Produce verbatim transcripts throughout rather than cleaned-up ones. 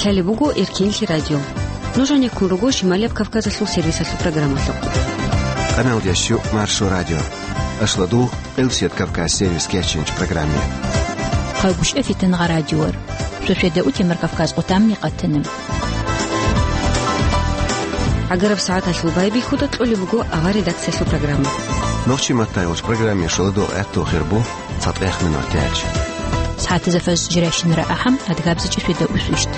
Гьале буго Эркенлъи радио. Нуж гьанеккун руго Шималияб Кавказалъул сервисалъул программалъухъ. Къаналда щу Маршо радио. Ашладул, Къилсият Кавказ сервис кеченч программе. Хъайгъушев Фитангъа радиор. Шошведа утемар Кавказ къутамни къатанам. ГӀагараб сагӀаталъул байбихьуда кьолеб буго авар редакциялъул программа. Нохчи маттайгъуч программе шоладо гӀатту хирбу. Цадгъех минут тяч. СагӀатазда фаз жирайщинара ахӀам, адгабзичӀи шведа усвищт.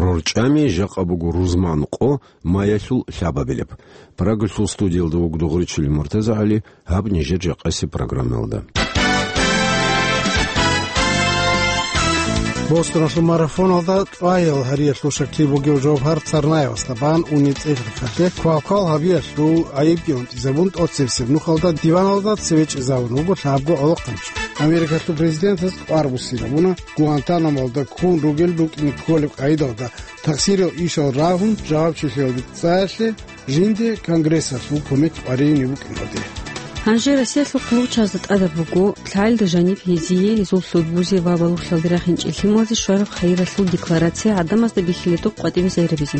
РорчӀами жакъа буго рузман къо маялъул лъабабилеб. Прагалъул студиялда вуго Дугъричилин МуртазагӀали, гьаб нижер жакъасеб программалда. Бостоналъул марафоналда лъугьаял гьариялъул шаклъи бугев Жовгьар Царнаевасда бан унеб цӀех-рехалъе квалквал гьабиялъул гӀайибги унтӀизабун, тӀоцебесеб нухалда диваналда цеве чӀезавун вуго лъабго гӀолохъанчи. Америкалъул президентас тӀвар буссинабуна Гуантанамолда ккун ругел рукӀине кколеб къайдалда тахсирал ишал рагьун жавабчилъиялде цӀаялъе, жинде Конгрессалъул кумек къваригьине букӀиналде. Гьанже Россиялъул хъулухъчазда тӀадаб буго, лъагӀелда жаниб гьезие, гьезул лъудбузе ва балугълъиялде рахинчӀел лъималазе щвараб хайиралъул декларация гӀадамазда бихьилетухъ къватӀибе сайрабизе.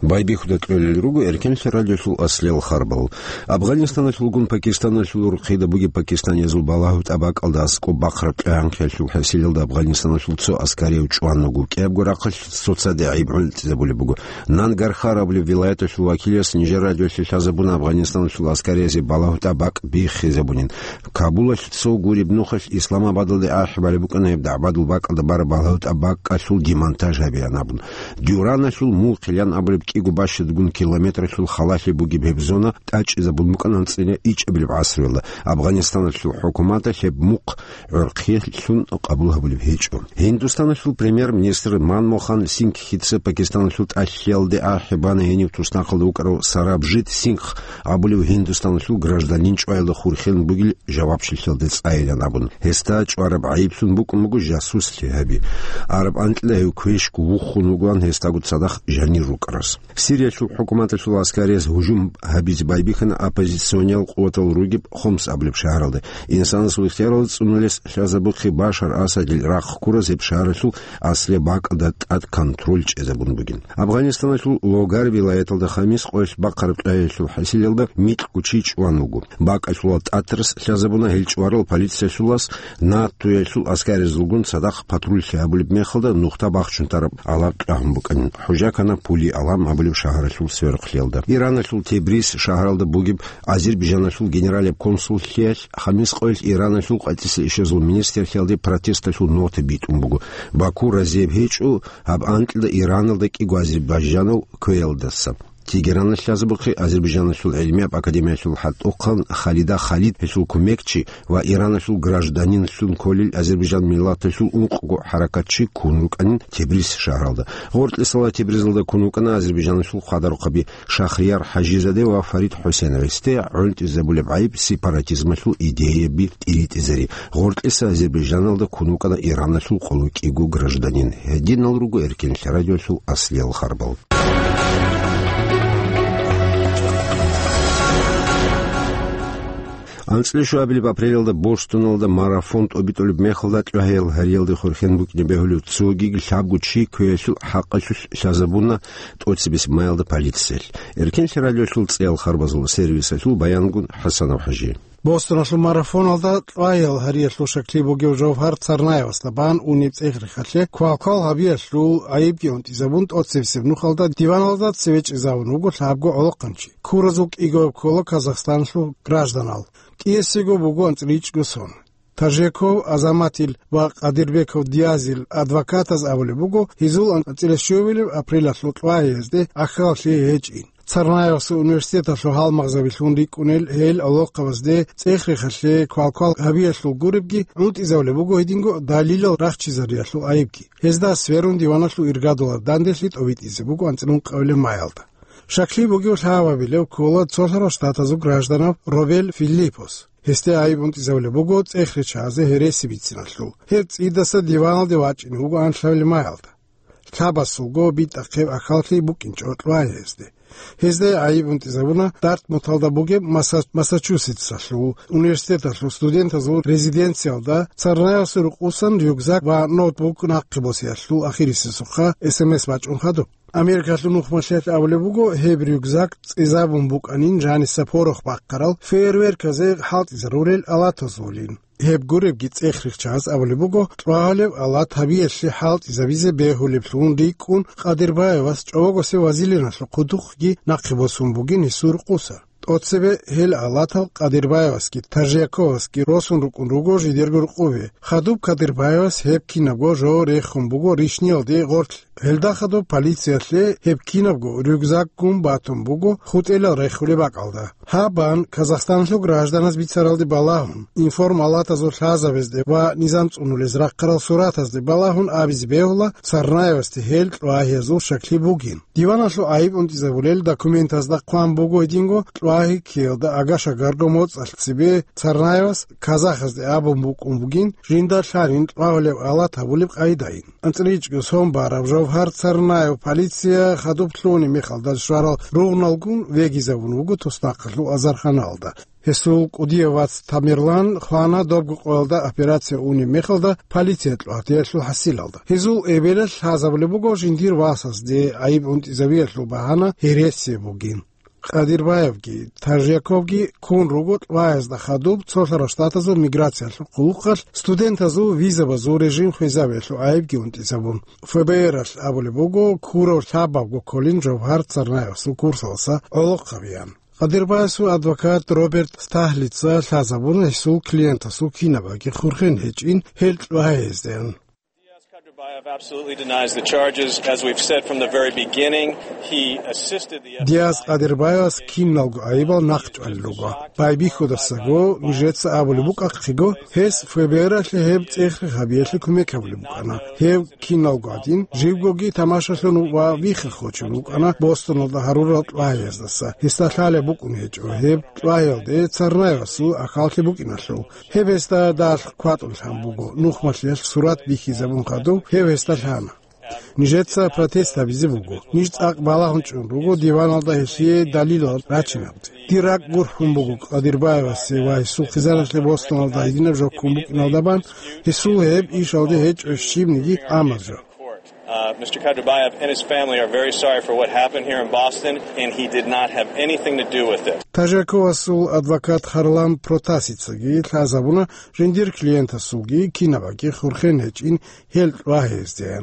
Байбихьуда кьолел руго Эркенлъи радиолъул аслиял харбал. Афганистаналъулгун Пакистаналъул урхъида бугеб пакистаниязул балагьу тӀабакӀалда аскӀоб бахъараб тӀагӀанхъиялъул хӀасилалда Афганистаналъул цо аскарияв чӀван вуго. КӀиябго рахъалъ цоцаде гӀайиб гӀунтӀизабулеб буго. Нангорхар абулеб вилаяталъул вакилияс нижер радиоялъе лъазабуна Афганистаналъул аскариязе балагьу тӀабакӀ биххизабунин. Кабулалъ цо гуреб нухалъ Исламабадалде ахӀи балеб букӀана гьеб дагӀбадул бакӀалда бараб балагьу тӀабакӀалъул демонтаж гьабеян абун. Дюраналъул мулхъилан абулеб кӀиго бащадгун километралъул халалъи бугеб гьеб зона тӀачӀизабун букӀана анцӀила ичӀабилеб гӀасруялда. Афганистаналъул хӀукуматалъ гьеб мухъ гӀорхъелъун къабул гьабулеб гьечӀо. Гьиндустаналъул премьер-министр Манмохан Сингхица Пакистаналъул тӀалъиялде ахӀи бана гьенив туснахъалда вукӀарав Сарабжит Сингх абулев Гьиндустаналъул гражданин чӀваялда хурхен бугел жавабчилъиялде цӀайилан абун. Гьесда чӀвараб гӀайиблъун букӀун буго жасуслъи гьаби. Араб анкьила гьев квешго вухун вугоан гьесдаго цадахъ жанир рукӀарас. Сириялъул хӀукуматалъул аскариялъ гьужум гьабизе байбихьана оппозициониял къуватал ругеб Хомс абулеб шагьаралда. Инсанасул ихтияралда цӀунулес лъазабухъе Башар Асадил рахъ ккураз гьеб шагьаралъул аслияб бакӀалда тӀад контроль чӀезабун бугин. Афганистаналъул Логар вилаяталда хамис къоялъ бахъараб тӀагӀиялъул хӀасилалда микьго чи чӀван вуго. БакӀалъулал тӀатарас лъазабуна гьел чӀварал полициялъулас, НАТОялъул аскаризулгун цадахъ патруллъи гьабулеб мехалда нухда бахчун тараб гӀалаб тӀагьун букӀанин. ХӀужа ккана Пули-Алам абулеб шагьаралъул сверухълъиялда. Ираналъул Тебриз шагьаралда бугеб Азербайжаналъул генералияб консуллъиялъ хамис къоялъ Ираналъул къватӀиса ишазул министрлъиялде протесталъул нота битӀун буго. Баку разияб гьечӀо гьаб анкьида Ираналда кӀиго азербайжанав кквеялдаса. Тегераналъ лъазабухъе Азербайжаналъул гӀилмияб академиялъул хӀатӀухъан Халида Халид, гьелъул кумекчи ва Ираналъул гражданинлъун кколел Азербайжан миллаталъул ункъго хӀаракатчи ккун рукӀанин Тебриз шагьаралда. Гъоркьисала Тебризалда ккун вукӀана Азербайжаналъул хъадарухъаби Шахрияр ХӀажизаде ва Фарид ХӀусеновецде гӀунтӀизабулеб гӀайиб сепаратизмалъул идеяби тӀиритӀизари. Гъоркьиса Азербайжаналда ккун вукӀана Ираналъул къоло кӀиго гражданин. Гьединал руго Эркенлъи радиолъул аслиял харбал. АнцӀила шуабилеб апрелалда Бостоналда марафон тӀобитӀулеб мехалда, лъугьаял гьариялде хурхен букӀине бегьулев цогиги лъабго чи кквеялъул хӀакъалъулъ лъазабуна тӀоцебесеб маялда полициялъ. Эркенлъи радиолъул цӀеял харбазул сервисалъул баянгун ХӀасанов ХӀажи. Бостоналъул марафоналда лъугьаял гьариялъул шаклъи бугев Жовгьар Царнаевасда бан унеб цӀех-рехалъе квалквал гьабиялъул гӀайибги унтӀизабун, тӀоцебесеб нухалда диваналда цеве чӀезавун вуго лъабго гӀолохъанчи. Ккуразул кӀигояб ккола Казахстаналъул гражданал. КӀиясего буго анцӀила ичӀго сон. Тажеков Азаматил ва Къадирбеков Диазил адвокатаз абулеб буго, гьезул анцӀила щуабилеб апрелалъул лъугьаязде гӀахьаллъи гьечӀин. Царнаевасул университеталъул гьалмагъзабилъун рикӀкӀунел гьел гӀолохъабазде цӀех-рехалъе квалквал гьабиялъул гуребги гӀунтӀизабулеб буго гьединго далилал рахчизариялъул гӀайибги. Гьезда сверун диваналъул иргадулаб данделъи тӀобитӀизе буго анцӀила ункъабилеб маялда. Шаклъи бугев лъабабилев ккола Цолъарал Штатазул гражданав Робел Филиппос. Гьесде гӀайиб унтӀизабулеб буго цӀех риччазе гьереси бициналъул. Гьеб цӀидаса диваналде вачӀине вуго анлъабилеб маялда. лъабасулго битӀахъеб ахьаллъи букӀинчӀо кьвагьезде. Гьезда гӀайиб унтӀизабуна Дартмуталда бугеб Масса-, Массачусетсалъул университеталъул студентазул резиденциялда Царнаевасул рукъусан рюкзак ва ноутбук нахъе босиялъул ахирисесухъа эс эм эс бачӀун хадуб. Америкалъул нухмалъиялъ абулеб буго, гьеб рюкзак цӀезабун букӀанин жаниса порох бахъарал фейерверказе хӀалтӀизарурел алатазулин. Гьеб гуребги цӀех-рихчаз абулеб буго, кьвагьалеб алат гьабиялъе хӀалтӀизабизе бегьулеблъун рикӀкӀун Къадирбаевас чӀобогосе вазилиналъул хъудухъги нахъе босун бугин гьесул рукъуса. ТӀоцебе гьел алатал Къадирбаевасги Тажиаковасги росун рукӀун руго жидерго рукъубе. Хадуб Къадирбаевас гьеб кинабго жо рехун буго ришниялде гъорлъ. Гьелда хадуб полициялъе гьеб кинабго рюкзакгун батун буго хутӀелал рехулеб бакӀалда. Гьаб бан Казахстаналъул гражданаз бицаралде балагьун, информалатазул лъазабазде ва низам цӀунулез рахъарал суратазде балагьун абизе бегьула Царнаевасде гьел кьвагьиязул щаклъи бугин. Диваналъул гӀайиб унтӀизабулел документазда хъван буго гьединго кьвагьи ккеялда агашагарго моцӀалъ цебе Царнаевас казахазде абун букӀун бугин, жинда лъалин кьвагьулеб алат гьабулеб къайдаин. АнцӀричӀго сон бараб Жовгьар Царнаев полиция хадуб лъугьунеб мехалда щварал ругъналгун вегизабун вуго туснахъалъул азарханалда. Гьесул кӀудияв вац Тамерлан хвана добго къоялда операция унеб мехалда полиция кьвагьиялъул хӀасилалда. Гьезул эбелалъ лъазабулеб буго жиндир васасде гӀайиб унтӀизабиялъул багьана гьересия бугин. Къадирбаевги Тажиаковги ккун руго кьвагьиязда хадуб Цолъарал Штатазул миграциялъул хъулухъалъ студентазул визабазул режим хвезабиялъул гӀайибги унтӀизабун. ФБРалъ абулеб буго, ккурав лъабабго кколин Жовгьар Царнаевасул курсалдаса гӀолохъ гьабеян. Къадирбаевасул адвокат Роберт Стаглица лъазабуна гьесул клиентасул кинабаги хурхен гьечӀин гьел кьвагьиязде. Diaz Kadirbayev absolutely denies the charges. As we've said from the very beginning, he assisted the Диаз Къадирбаевас киналго гӀайибал нахъчӀвалел руго. Байбихьудасаго нижеца абулеб букӀахъего, гьес ФБРалъе гьеб цӀех-рехабиялъе кумек гьабулеб букӀана. Гьев киналго гӀадин, живгоги тамашалъун ва вихха хочун вукӀана Бостоналда гьарурал кьвагьияздаса. Гьесда лъалеб букӀун гьечӀо гьеб кьвагьиялде Царнаевасул ахьаллъи букӀиналъул. Гьеб гьесда далъ кватӀун лъан буго, нухмалъиялъ сурат бихьизабун хадуб гьев гьесда лъана. Нижеца протест гьабизе буго. Ниж цӀакъ балагьун чӀун руго диваналда гьелъие далилал рачинаб. Дир ракӀ гурхӀун буго Къадирбаевасе ва гьесул хъизаналъе Бостоналда гьединаб жо ккун букӀиналда бан, гьесул гьеб ишалде гьечӀо щибниги амаз жо. Uh, Mister Kadirbayev and his family are very sorry for what happened here in Boston, and he did not have anything to do with it. Тажиаковасул адвокат Харлан Протасицаги лъазабуна жиндир клиентасулги кинабаги хурхен гьечӀин гьел кьвагьиязде.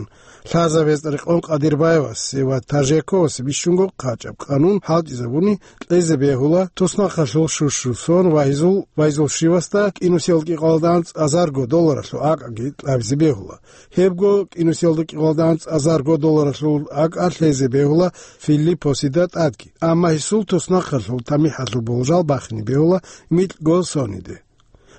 Лъазабез рекъон Къадирбаевасе ва Тажиаковасе бищунго къачӀаб къанун хӀалтӀизабуни кьезе бегьула туснахъалъул щущу сон ва гьезул, ва гьезул щивасда кӀинусиялда кӀикъоялда анцӀ азарго долларалъул акӀаги кьабизе бегьула. Гьебго кӀинусиялда кӀикъоялда анцӀ азарго долларалъул акӀа лъезе бегьула Филиппосида тӀадги. Амма гьесул туснахъалъул тамихӀалъул болжал бахине бегьула микьго сониде.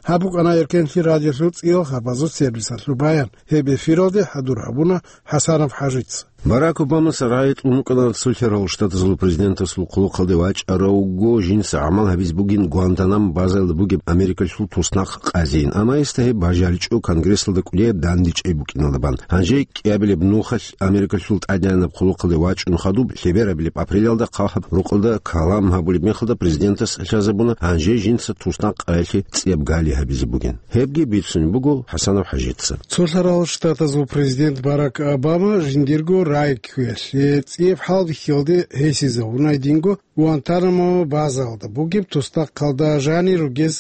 Гьаб букӀана Эркенлъи радиолъул цӀиял хабазул сервисалъул баян. Гьеб эфиралде хӀадур гьабуна ХӀасанов ХӀажица. Барак Обамас рагӀи кьун вукӀана Цолъарал Штатазул президентасул хъулухъалде вачӀаравго жинца гӀамал гьабиз бугин Гуантанамо базаялда бугеб Америкалъул туснахъ къазейин, амма гьесда гьеб бажаричӀо Конгрессалда кӀудияб дандечӀей букӀиналда бан. Гьанже кӀиабилеб нухалъ Америкалъул тӀадегӀанаб хъулухъалде вачӀун хадуб, лъеберабилеб апрелалда хъахӀаб рукъалда калам гьабулеб мехалда президентас лъазабуна гьанже жинца туснахъ къаялъе цӀияб гали гьабизе бугин. Гьебги бицунеб буго ХӀасанов ХӀажица. Цолъарал Штатазул президент Барак Обама жиндирго рагӀи кквеялъе цӀияб хӀалбихьиялде гьесизавуна гьединго Гуантанамо базаялда бугеб туснахъалда жанир ругез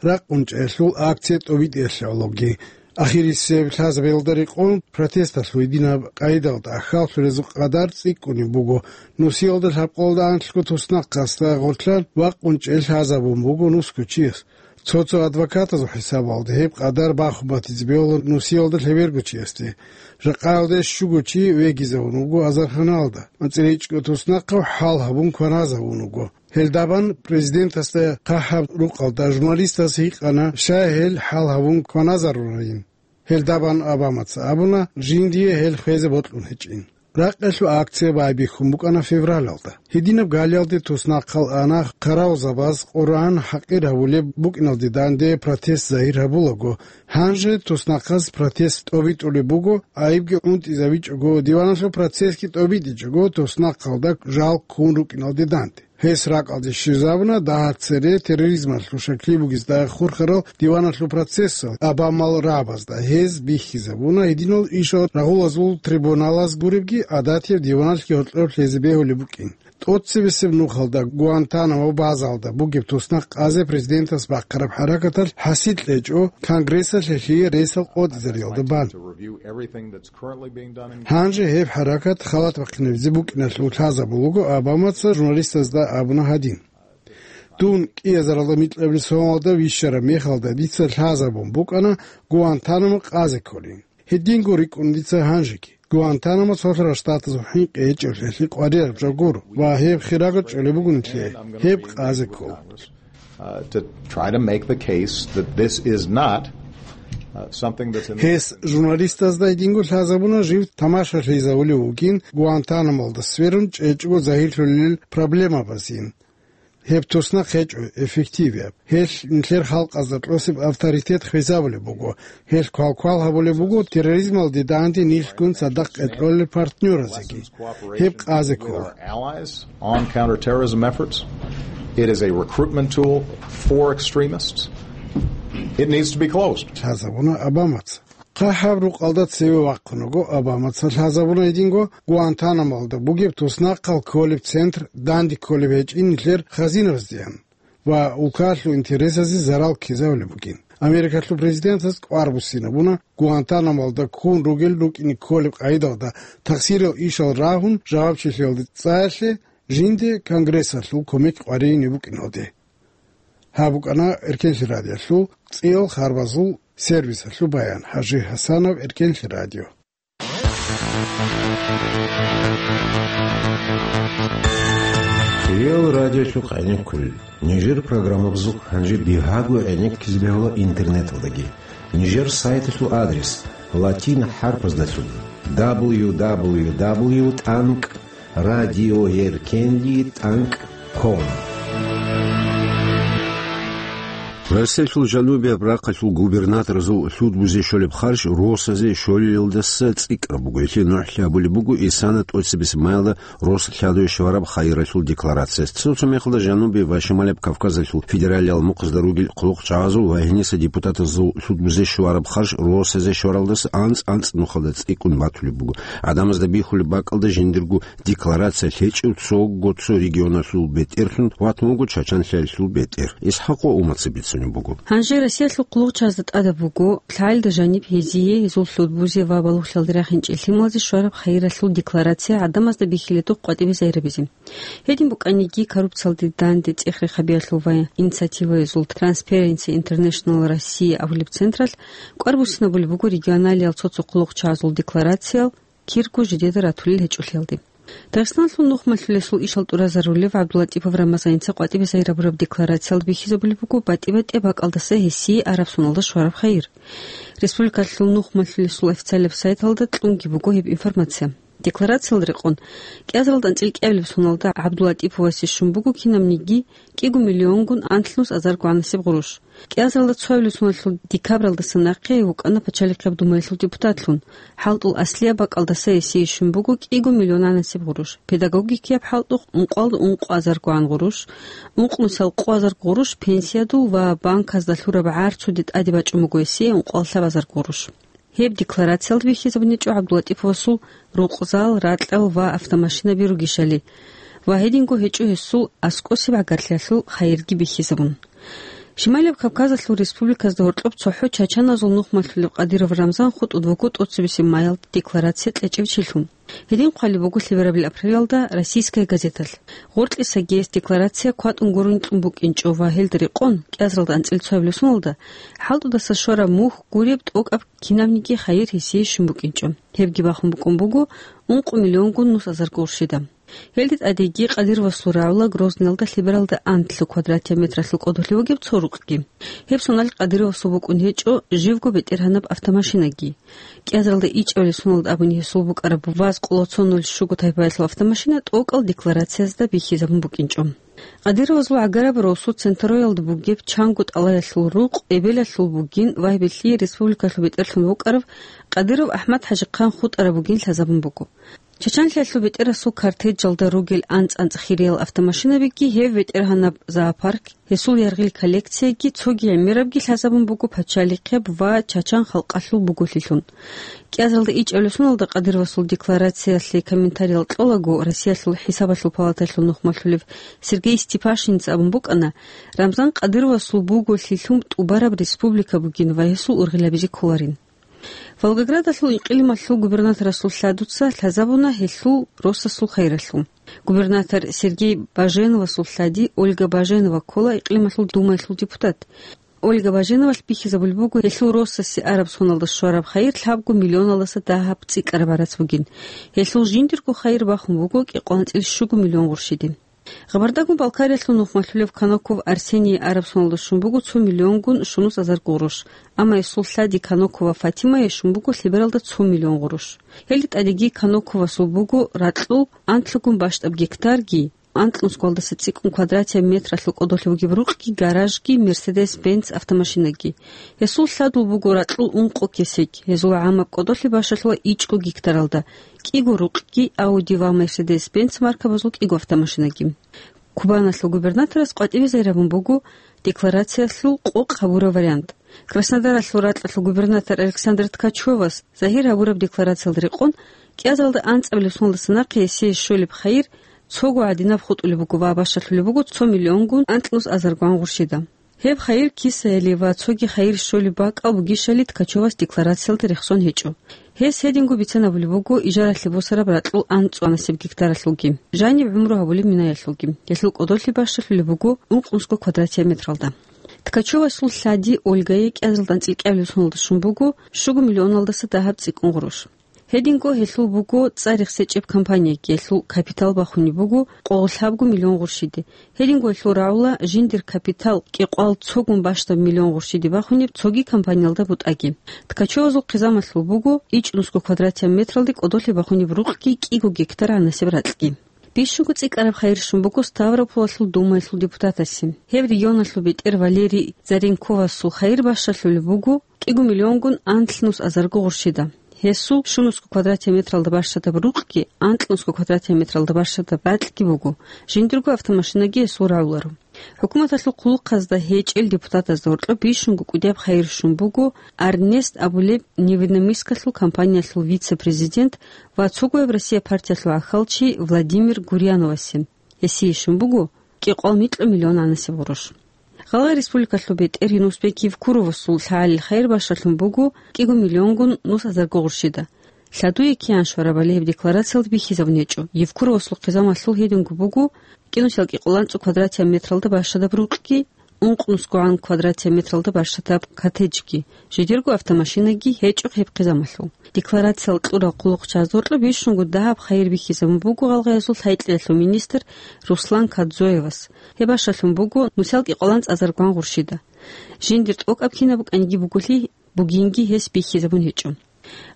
ракъунчӀаялъул акция тӀобитӀиялъе гӀологи. Ахирисеб лъазабиялда рекъон протесталъул гьединаб къайдалда ахьаллъулезул къадар цӀикӀкӀунеб буго. Нусиялда лъабкъоялда анлъго туснахъасда гъорлъан вакъунчӀей лъазабун буго нусго чияс. Цо-цо адвокатазул хӀисабалда гьеб къадар бахун батизе бегьула нусиялда лъеберго чиясде. Жакъаялде щуго чи вегизавун вуго азарханалда, анцӀила ичӀго туснахъав хӀал гьабун кваназавун вуго. Гьелдабан президентасда хъахӀаб рукъалда журналистас гьикъана, щай гьел хӀал гьабун кваназарурайин. Гьелдабан Обамаца абуна, жиндие гьел хвезе бокьун гьечӀин. Ракъалъул акция байбихьун букӀана февралалда. Гьединаб галиялде туснахъал ана хъаравулзабаз Къуръан хӀакъир гьавулеб букӀиналде данде протест загьир гьабулаго. Гьанже туснахъаз протест тӀобитӀулеб буго, айибги унтӀизавичӀого, диваналъул процессги тӀобитӀичӀого, туснахъалда жал ккун рукӀиналде данде. Гьес ракӀалде щвезабуна дагьа цере терроризмалъул щаклъи бугезда хурхарал диваналъул процессал Обамал рагӀабазда. Гьез бихьизабуна гьединал ишал рагъулазул трибуналаз гуребги, гӀадатияб диваналъги гьоркьоб лъезе бегьулеб букӀин. ТӀоцебесеб нухалда Гуантанамо базалда бугеб туснахъ къазе президентас бахъараб хӀаракаталъ хӀасил кьечӀо, Конгрессалъ гьелъие ресал къотӀизариялда бан. Гьанже гьеб хӀаракат халат бахъинабизе букӀиналъул лъазабулаго Обамаца журналистазда абуна гьадин: «Дун кӀиазаралда микьабил соналда вищараб мехалда дица лъазабун букӀана Гуантанамо къазе кколин. Гьединго рикӀкӀун дица гьанжеги. Гуантанамо цолъарал штатазул хӀинкъи гьечӀеблъи къварираб жо гуро ва гьеб хирага чӀолеб буго нилъее, гьеб къазе ккола». Uh, to try to make the case that this is not, uh, something that's in the Гьес журналистазда гьединго лъазабуна жив тамашалъизавулев вугин Гуантанамолда сверун чӀечӀого загьирлъулел проблемабазин. Гьеб туснахъ гьечӀо эффективияб. Гьелъ нилъер халкъазда кьосеб авторитет хвезабулеб буго. Гьелъ квалквал гьабулеб буго терроризмалде данде нилъгун цадахъ кьолел партнёразеги. Гьеб къазе ккола. Our allies on counterterrorism efforts. It is a recruitment tool for extremists. It needs to be closed. Лъазабуна Обамаца. ХъахӀаб рукъалда цеве вахъун вуго Обамаца. Лъазабуна гьединго Гуантанамолда бугеб туснахъал кколеб центр данде кколеб гьечӀин нилъер хазинабаздеян ва улкаялъул интересазе зарал ккезавулеб бугин. Америкалъул президентас кӀвар буссинабуна Гуантанамолда ккун ругел рукӀине кколеб къагӀидалда тахсирал ишал рагьун жавабчилъиялде цӀаялъе, жинде Конгрессалъул кумек къваригӀине букӀиналде. Гьаб букӀана Эркенлъи радиолъул цӀиял харбазул сервисалъул баян. Хажи Гьасанов, Эркенлъи радио. Реал радиолъухъ гӀенеккулел. Нижер программабазухъ гьанже бигьаго гӀенеккизе бегьула интернеталдаги. Нижер сайталъул адрес латин хӀарпаздалъун: дабл ю дабл ю дабл ю тӀанкӀ радиоеркенлъи тӀанкӀ ком. Россиялъул жанубияб рахъалъул губернаторазул лъудбузе щолеб харж росазе щолелалдаса цӀикӀкӀараб буго. Гьелъие нухӀлъи гьабулеб буго исана тӀоцебесеб майалда рос лъадуе щвараб хайиралъул декларация. Цо-цо мехалда Жанубияб ва Шималияб Кавказалъул федералиял мухъазда ругел хъулухъчагӀазул ва гьениса депутатазул лъудбузе щвараб харж росазе щваралдаса анцӀ-анцӀ нухалда цӀикӀкӀун батулеб буго. ГӀадамазда бихьулеб бакӀалда жиндирго декларация лъечӀев цого цо регионалъул бетӀерлъун ватун вуго Чачанлъиялъул бетӀер. ИсхӀакъ ва Умаца бицунеб буго. Гьанже Россиялъул хъулухъчагӀазда тӀадаб буго лъаялда жаниб гьезие, гьезул лъудбузе ва балугълъиялда рахинчӀел лъималазе щвараб хайиралъул декларация гӀадамазда бихьиледухъ къватӀибе загьирабизе. Гьедин букӀаниги, коррупциялде данде цӀех-рехабиялъул ва инициативаязул Transparency International Россия абулеб централъ кӀвар буссинабулеб буго регионалиял цо-цо хъулухъчагӀазул декларациял кирго жидеда ратулел гьечӀолъиялде. Дагъистаналъул нухмалъулесул ишал тӀуразарулев ГӀабдуллатӀипов Рамазаница къватӀибе загьир гьабураб декларациялда бихьизабулеб буго батӀи-батӀияб бакӀалдаса гьесие араб соналда щвараб хайир. Республикалъул нухмалъулесул официалияб сайталда кьунги буго гьеб информация. Декларациялда рекъон, кӀиазаралда анцӀил кӀиабилеб соналда ГӀабдуллатӀиповасе щун буго кинабниги кӀиго миллионгун анлънус азарго гӀанасеб гъурущ. КӀиазаралда цоабилеб соналъул декабралдаса нахъе вукӀана Пачалихъияб Думаялъул депутатлъун. ХӀалтӀул аслияб бакӀалдаса гьесие щун буго кӀиго миллион гӀанасеб гъурущ, педагогикияб хӀалтӀухъ ункъоялда ункъо азарго гӀан гъурущ, ункънусал къо азарго гъурущ пенсиядул ва банказда лъураб гӀарцуде тӀаде бачӀун буго гьесие ункъоялда лъаб азарго гъурущ. Гьеб декларациялда бихьизабунечӀо ГӀабдуллатӀиповасул рукъзал, ракьал ва автомашинаби ругищали ва гьединго гьечӀо гьесул аскӀосеб гӀагарлъиялъул хайирги бихьизабун. Шималияб Кавказалъул республиказда гьоркьоб цохӀо чачаназул нухмалъулеб Къадиров Рамзан хутӀун вуго тӀоцебесеб майалда декларация кьечӀев чилъун. Гьедин хъвалеб буго лъеберабил апрелалда «Российская газеталъ». Гъоркьиса гьес декларация кватӀун гурони кьун букӀинчӀо ва гьелда рекъон, кӀиазаралда анцӀила цоабилеб соналда, хӀалтӀудаса щвараб мухь гуреб тӀокӀаб кинабниги хайир гьесие щун букӀинчӀо. Гьебги бахун букӀун буго ункъо миллионгун нус азарго гъурщида. Гьелде тӀадеги Къадировасул рагӀула Грозныйалда лъебералда анлъго квадратияб метралъул кӀодолъи бугеб цо рукъги. Гьеб соналъ Къадировасул букӀун гьечӀо живго бетӀергьанаб автомашинаги. КӀиазаралда ичӀабилеб соналда абуни гьесул букӀараб ваз къоло цо нуль щуго тайпаялъул автомашина тӀокӀал декларациязда бихьизабун букӀинчӀо. Къадировазул гӀагараб росу Центроялда бугеб чанго тӀалаялъул рукъ эбелалъул бугин ва гьеб лъие республикалъул бетӀерлъун вукӀарав Къадиров АхӀмад-ХӀажихъан хутӀараб бугин лъазабун буго. Чачанлъиялъул бетӀерасул кортежалда ругел анцӀ-анцӀ хириял автомашинабиги, гьев бетӀергьанаб зоопарк, гьесул яргъил коллекцияги цоги гӀемерабги лъазабун буго пачалихъияб ва чачан халкъалъул буголъилъун. КӀиазаралда ичӀабилеб соналда Къадировасул декларациялъе комментариял кьолаго, Россиялъул ХӀисабалъул палаталъул нухмалъулев Сергей Степашинец абун букӀана, Рамзан Къадировасул буголъилъун тӀубараб республика бугин ва гьесул ургъел гьабизе кколарин. Волгоградалъул инкъилималъул губернаторасул лъадуца лъазабуна гьелъул росасул хайралъул. Губернатор Сергей Баженовасул лъади Ольга Баженова ккола Инкъилималъул Думаялъул депутат. Ольга Баженовалъ бихьизабулеб буго гьелъул росасе араб соналда щвараб хайир лъабго миллионалдаса дагьаб цӀикӀкӀараб гӀарац бугин. Гьелъул жиндирго хайир бахун буго кӀикъоялда анцӀила щуго миллион гъурщиде. Гъабардагун Балкариялъул нухмалъулев Каноков Арсений араб соналда щун буго цо миллионгун щунус азарго гъурущ, амма гьесул лъади Канокова Фатимае щун буго лъебералда цо миллион гъурущ. Гьелде тӀадеги Каноковасул буго ракьул анлъгун бащдаб гектарги, анкьнусгоялдаса цӀикӀкӀун квадратияб метралъул кӀодолъи бугеб рукъги, гаражги, Мерседес-Бенц автомашинаги. Гьесул лъадул буго ракьул ункъо кесек, гьезул гӀамаб кӀодолъи бащалъула ичӀго гектаралда, кӀиго рукъги, Ауди ва Мерседес-Бенц маркабазул кӀиго автомашинаги. Кубаналъул губернаторас къватӀибе загьир гьабун буго декларациялъул къокъ гьабураб вариант. Краснодаралъул ракьалъул губернатор Александр Ткачевас загьир гьабураб декларациялда рекъон, кӀиазаралда анцӀабилеб соналдаса нахъе гьесие щолеб хайир цого гӀадинаб хутӀулеб буго ва бащалъулеб буго цо миллионгун анкьнус азаргун гъурщида. Гьеб хайир кисаялъе ва цоги хайир щолеб бакӀал бугищали Ткачевас декларациялда рехсон гьечӀо. Гьес гьединго бицанабулеб буго ижаралъе босараб ракьул анцӀ анасеб гектаралъулги, жаниб гӀумру гьабулеб минаялъулги. Гьелъул кӀодолъи бащалъулеб буго ункънусго квадратияб метралда. Ткачевасул лъади Ольгае кӀиазаралда анцӀила кӀиабилеб соналда щун буго щуго миллионалдаса дагьаб цӀикӀкӀун гъурущ. Гьединго гьелъул буго цӀар рехсечӀеб компанияги, гьелъул капитал бахунеб буго къоло лъабго миллион гъурщиде. Гьединго гьелъул рагӀула жиндир капитал кӀикъоялда цогун бащдаб миллион гъурщиде бахунеб цоги компаниялда бутӀаги. Ткачевазул хъизамалъул буго ичӀнусго квадратияб метралде кӀодолъи бахунеб рукъги кӀиго гектар гӀанасеб ракьги. Бищунго цӀикӀкӀараб хайир щун буго Ставрополалъул Думаялъул депутатасе. Гьеб регионалъул бетӀер Валерий Заренковасул хайир бащалъулеб буго кӀиго миллионгун анлънус азарго гъурщида. Гьесул щунусго квадратияб метралда бащадаб рукъги, анкьнусго квадратияб метралда бащадаб ракьги буго, жиндирго автомашинаги гьесул рагӀуларо. ХӀукуматалъул хъулухъазда гьечӀел депутатазда гьоркьоб бищунго кӀудияб хайир щун буго Арнест абулеб Невинномыссклъул компаниялъул вице-президент ва цогояб Россия партиялъул гӀахьалчи Владимир Гурьяновасе. Гьесие щун буго кӀикъоялда микьго миллион гӀанасеб гъурущ. Гьале республикалъул бетӀер Юнусбек Евкуровасул лъагӀалил хайир бащалъун буго кӀиго миллионгун нус азарго гъурщида. Лъадуе киян щварабали гьеб декларациялда бихьизабун гьечӀо, Евкуровасул хъизамалъул гьединго буго кӀинусел кӀикъоялда анцӀго квадратияб метралда бащадаб рукъги, ункънусгогӀан квадратияб метралда бащадаб коттеджги, жидерго автомашинаги гьечӀо гьеб хъизамалъул. Декларациял кьурал хъулухъчагӀазда гьоркьоб бищунго дагьаб хайир бихьизабун буго гьалгъаязул лъай-кьеялъул министр Руслан Кадзоевас. Гьеб бащалъун буго нусал кӀикъоялда анцӀ азаргун гъурщида. Жиндир тӀокӀаб кинаб букӀаниги бугелъи, бугинги гьес бихьизабун гьечӀо.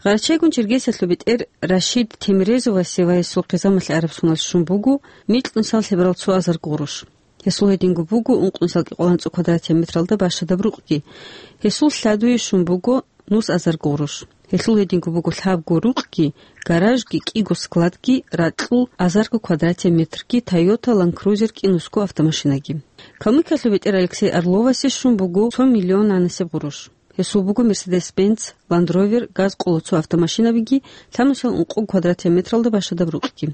Гъарачайгун Чергесиялъул бетӀер Рашид Темирезовасе ва гьесул хъизамалъе араб соналъ щун буго микьнусал лъеберал цо азарго гъурущ. Гьесул гьединго буго ункънусал кӀикъоялда анцӀго квадратияб метралда бащадаб рукъги. Гьесул лъадуе щун буго нус азарго гъурущ. Гьелъул гьединго буго лъабго рукъги, гаражги, кӀиго складги, ракьул азарго квадратияб метрги, Toyota Land Cruiser кӀинусго автомашинаги. Калмыкиялъул бетӀер Алексей Орловасе щун буго цо миллион гӀанасеб гъурущ. Гьесул буго Mercedes-Benz, Land Rover, газ къоло цо автомашинабиги, лъабнусел ункъо квадратияб метралда бащадаб рукъги.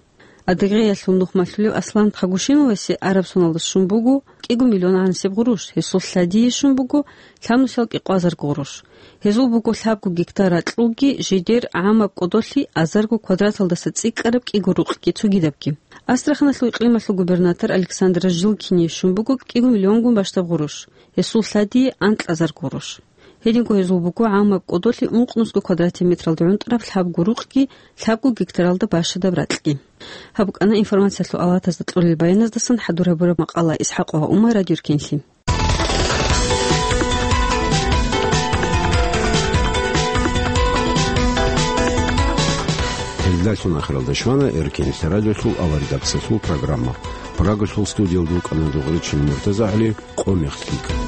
Адыгеялъул нухмалъулев Аслан Хагушиновасе араб соналда щун буго кӀиго миллион гӀанасеб гъурущ, гьесул лъадие щун буго лъабнусел кӀикъоязарго гъурущ. Гьезул буго лъабго гектар ракьулги, жидер гӀамаб кӀодолъи азарго квадраталдаса цӀикӀкӀараб кӀиго рукъги цогидабги. Астраханалъул икълималъул губернатор Александр Жилкине щун буго кӀиго миллионгун бащдаб гъурущ. Гьесул лъадие анкьазарго гъурущ. Гьединго гьезул буго гӀамаб кӀодолъи ункънусго квадратный метралда гӀунтӀараб лъабго рукъги лъабго гектаралда бащадаб ракьги. Гьаб букӀана информациялъул алатазда кьолел баяназдасан хӀадур гьабураб макъала. ИсхӀакъ ва Умар, Радио Эркенлъи. Гьелдалъун ахиралда щвана Эркенлъи радиолъул аваридаксалъул программа. Прагалъул студиялда вукӀана Дугъричин МуртазагӀали. Къо мехлъи.